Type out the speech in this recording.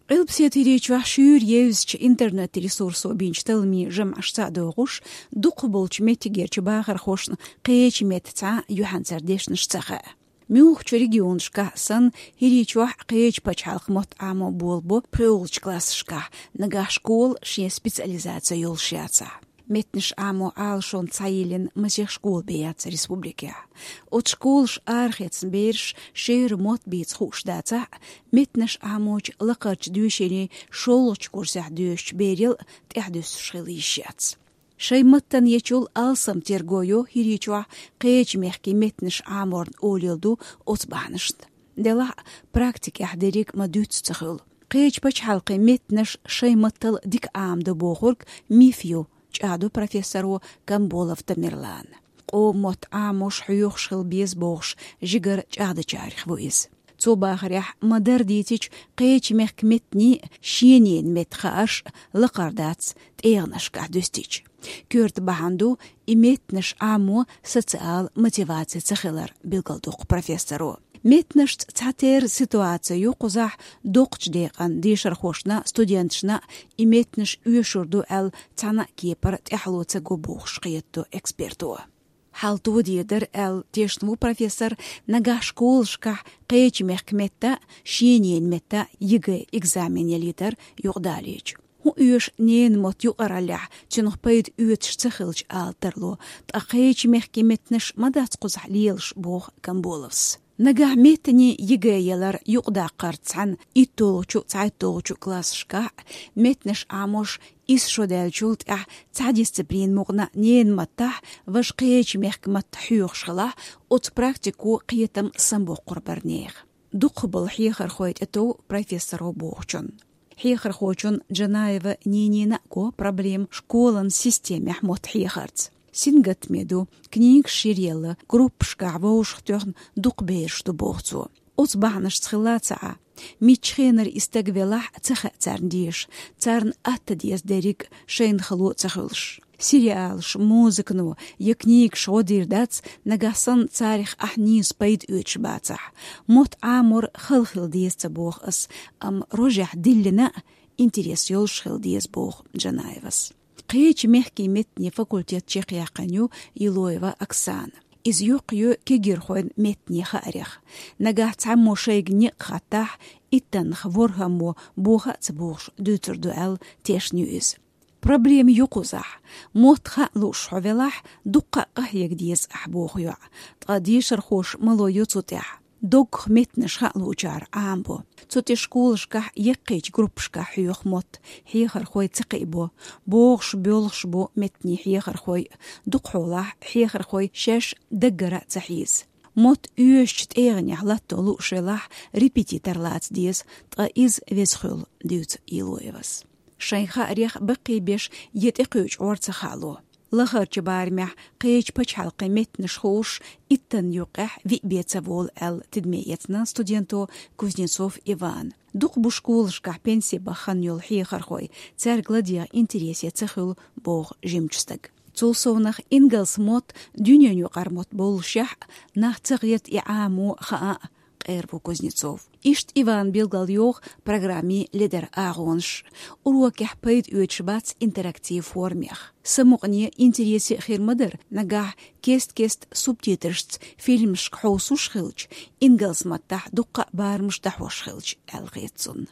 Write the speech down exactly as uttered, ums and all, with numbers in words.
Къилбаседа ХӀирийчохь шуьйра евзачу интернет-ресурсо бинчу талламийн жамӀашца а догӀуш, дукхахболчу меттигерчу бахархошна кхечу меттаца юьхьанцара дешнаш ца хаьа. Муьлххачу регионашкахь санна, ХӀирийчохь кхечу пачхьалкхан мотт Ӏамо болабо пхоьалгӀачу классашкахь, нагахь школа шен специализаци йолуш яцахь. Меттанаш Ӏамо Ӏалашонца схьайиллина масех школа бен яц республикехь. Оцу школаша арахецна бераш шера мотт бийца хууш дацахь а, меттанаш Ӏамочу лакхарчу доьшенийн шолгӀачу курсехь доьшучу берел а тӀаьхьадуьсуш хила йиш яц. Шайн маттана ечул алсам терго йо ХӀирийчохь кхечу мехкийн меттанаш Ӏаморна олийла ду оцу бахьанашна. Делахь а, практикехь дерриг а ма дуьйцу ца хуьлу. Кхечу пачхьалкхийн меттанаш шайн маттал дика Ӏамадо бохург миф ю, чӀагӀдо профессоро Камболов Тамерлана. Къоман мотт Ӏамош, хьоьхуш хила беза бохуш, жигара чӀагӀдечарех ву иза. Цо бахарехь, ма-дарра дийцича, кхечу мехкан меттаний а, шен ненан метта хаарш а лакхара дац тӀегӀанашкахь дуьстича. Коьрта бахьана ду и меттанаш Ӏамо социал мотиваци ца хилар, билгалдоккху профессоро. Меттанашца цхьатерра ситуаци ю кхузахь: доккхачу декъан дешархошна, студенташна и меттанаш оьшур ду аьлла, цхьана а кепара тӀаьхьало ца го бохуш кхетадо эксперто. Хьал тоде дара аьлла тешна ву профессор, нагахь школашкахь кхечу мехкан метта, шен ненан метта ЕГЭ экзамен ялийтар юкъадалийча. ХӀун оьшу ненан мотт юкъараллехь, цуьнах пайда оьцуш ца хилча ала тарло, ткъа кхечу мехкийн меттанаш ма дац кхузахь лелаш, боху Камболовс. Нагахь меттанийн ЕГЭ ялар юкъадаккхарца цхьаьна итталгӀачу, цхьайтталгӀачу классашкахь а меттанаш Ӏамош исс шо даьллачул тӀаьхьа цхьа дисциплина мукъана ненан маттахь, важа кхечу мехкан матта хьоьхуш хилахь, оцу практико кхетам самабоккхур бара нехан. Дукхахболу хьехархой тӀетов профессоро бохучунна. Хьехархочун Джанаева Нинина а го проблема школан системехь мотт хьехарца. Сингаттаме ду, книгаш йиръелла, группашкахь вовшах тоьхна дукха бераш ду, боху цо. Оцу бахьанашца хилла ца Ӏа. Мичча хенара и стаг велахь а, ца хаьа царна деша, царна атта деза дерриг а, шайна хало а ца хуьлуш. Сериалаш, музыкано я книгаш гӀо дийр дац, нагахь санна царах ахь нийса пайда оьцуш бацахь. Мотт Ӏамор хала хила деза ца боху ас, амма рожехь диллина а интерес йолуш хила деза, боху Джанаевас. Кхечу мехкийн меттанийн факультет чекхъяьккхина ю Елоева Оксана. Иза йоккхайо кегийрхойн меттанийн хаарех. Нагахь цхьаммо шайга некъ хаттахь, иттаннах ворхӀаммо боха а ца бохуш дуьйцур ду аьлла, тешна ю иза. Проблема ю кхузахь. Мотт хаа лууш хьо велахь, дуккха а къахьега деза ахь, боху йоӀа. Ткъа дешархоша мало йо цу тӀехь. Доггах меттанаш хаа луучара Ӏамабо. Цу тӀе школашкахь яккхийчу группашкахь хьоьху мотт, хьехархой ца кхиабо. БогӀуш, боьлхуш бу меттанийн хьехархой. Дукхахьолахь хьехархой шаьш даггара а ца хьийза. Мотт оьшучу тӀегӀанехь латто лууш велахь, репетитор лаца деза, ткъа иза веза хуьлу, дуьйцу Елоевас. Шайн хаарех баккхийбеш я тӀекхуьучу гӀор ца хаало. Лахарчу барамехь кхечу пачхьалкхийн меттанаш хууш, иттанна юккъехь виъ бен ца волу аьлла, тидаме эцна студенто Кузнецов Ивана. Дукха бу школашкахь пенси бахана йолу хьехархой, цаьрга ладегӀа интересе ца хуьлу, боху жимачу стага. Цул совнах, ингалс мотт дуьненаюкъара мотт боллушехь а, нах ца гӀерта и Ӏамо, хаа а, къера ву Кузнецов. Иштта Иван билгалйоху программин ледара агӀонаш. Урокехь пайда оьцуш бац интерактив формех. Самукъане, интересе а хир ма дара, нагахь кест-кеста субтитрашца фильмашка хьовсуш хилча, ингалс маттахь дуккха а барамаш дӀахьош хилча, аьлла хета цунна.